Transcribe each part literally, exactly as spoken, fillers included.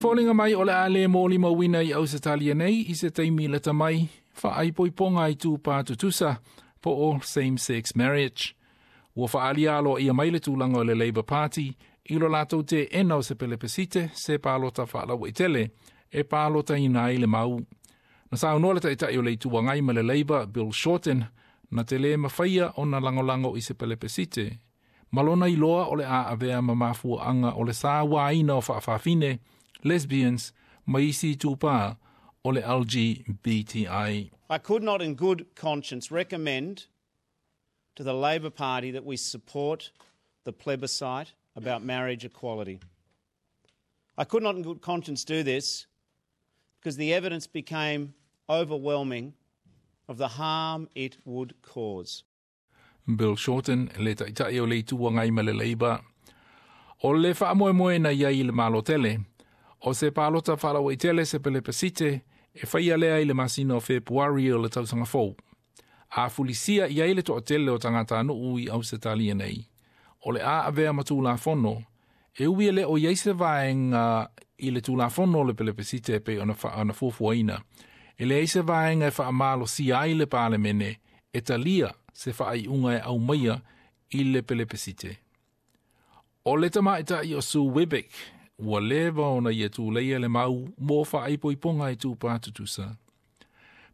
Foliga mai o le a le molimauina i Ausetalia nei i se taimi lata mai faaipoipoga itupa tutusa po o same sex marriage. Ua faaalia aloaia mai le tulaga o le Labour Party i lo latou teena o se pelepesite se palota faalauaitele e palotaina ai le mau. Na saunoa le taitai o le Itu Agai ma le Labour Bill Shorten na te lē mafaia ona lagolago i se pelepesite. Ma lona iloa o le a avea ma mafuaaga o le sauaina o faafafine, lesbians, ma isi itupa o le L G B T I. I could not in good conscience recommend to the Labor Party that we support the plebiscite about marriage equality. I could not in good conscience do this because the evidence became overwhelming of the harm it would cause. Bill Shorten, le taitai o le Itu Agai ma le Labour. O le faamoemoe na iai i le Malotele o se palota faalauaitele se pelepesite e faia lea i le masina o Fepuari o le tausaga fou. A fulisia i ai le toatele o tagatanuu i Ausetalia nei, o le a avea ma tulafono e ui e le o iai se vaega i le tulafono o le pelepesite e pei ona ona fuafuaina. E leai se vaega e faamalosia ai le Palemene e talia se faaiuga e aumaia i le pelepesite. O le tamaitai o Sue Webeck ua leva ona ia tuleia le mau mo faaipoipoga itupa tutusa.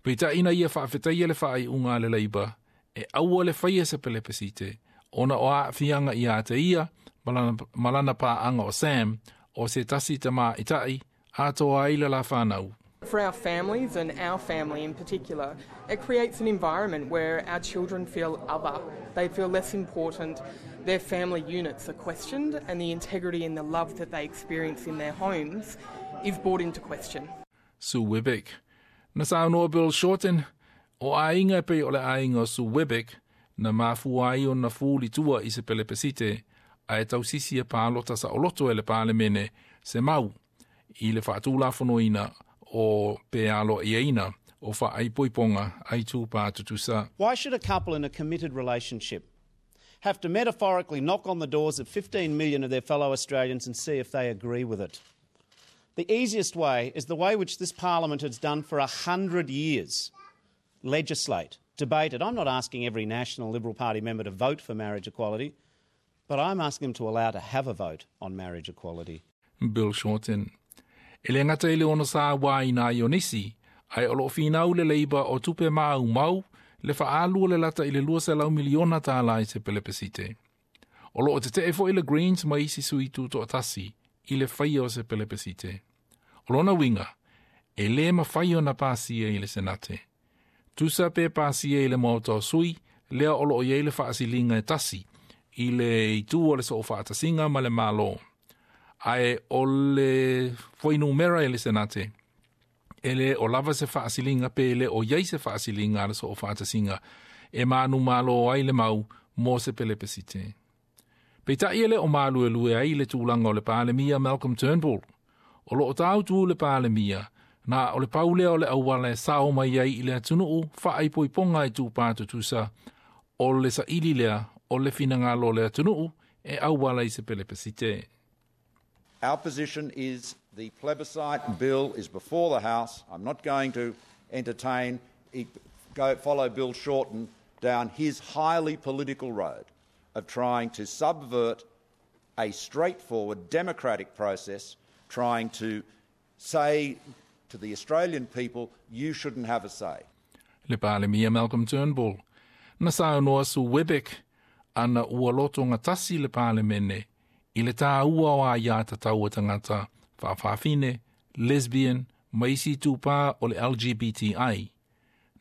Peitai na ia faafetaia le faaiuga a le Labour e aua le faia se pelepesite ona o aafiaga ia te ia ma lana paaga o Sam o se tasi tamaitai atoa ai le la fanau. For our families, and our family in particular, it creates an environment where our children feel other. They feel less important, their family units are questioned, and the integrity and the love that they experience in their homes is brought into question. Sue Webeck. Na saunoa Bill Shorten, o aiga e pei o le aiga o Sue Webeck, na mafua ai ona fulitua i se pelepesite, ae tausisi e palota saoloto e le Palemene se mau i le faatulafonoina o pe aloaiaina o faaipoipoga a itupa tutusa. Why should a couple in a committed relationship have to metaphorically knock on the doors of fifteen million of their fellow Australians and see if they agree with it? The easiest way is the way which this parliament has done for a hundred years. Legislate, debate it. I'm not asking every National Liberal Party member to vote for marriage equality, but I'm asking them to allow to have a vote on marriage equality. Bill Shorten. E le gata i le ono sauaina ai o nisi, ae o loo finau le Labour o tupe maumau le faaalu o le lata i le luaselau miliona tālā i se pelepesite. O loo tetee foi le Greens ma isi sui tutoatasi i le faia o se pelepesite. O lona uiga, e lē mafai ona pasia i le Senate. Tusa pe pasia i le Maota o Sui, lea o loo iai le faasiliga e tasi i le itu o le Soofaatasiga ma le Malo. Ae o le fuainumera i le Senate, e le o lava se faasiliga pe le o iai se faasiliga a le Soofaatasiga e manumalo ai le mau mo se pelepesite. Peitai e le o maluelue ai le tulaga o le Palemia Malcolm Turnbull. O loo tāutu le Palemia, na o le pau lea o le auala e sao mai ai i le atunuu faaipoipoga itupa tutusa o le saili lea o le finagalo o le atunuu e auala i se pelepesite. Our position is the plebiscite bill is before the House. I'm not going to entertain, go follow Bill Shorten down his highly political road of trying to subvert a straightforward democratic process, trying to say to the Australian people, "You shouldn't have a say." Le Palemia Malcolm Turnbull. Na saunoa Sue Webeck ana ua loto gatasi le Palemene i le tāua o aiā tatau a tagata faafafine, lesbian, ma isi itupa o le L G B T I.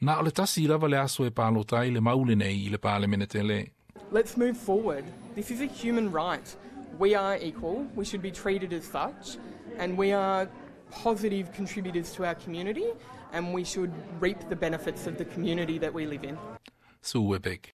Na o le tasi lava le aso e palota ai le mau lenei i le Palemene tele. Let's move forward. This is a human right. We are equal. We should be treated as such. And we are positive contributors to our community and we should reap the benefits of the community that we live in. Sue Webeck.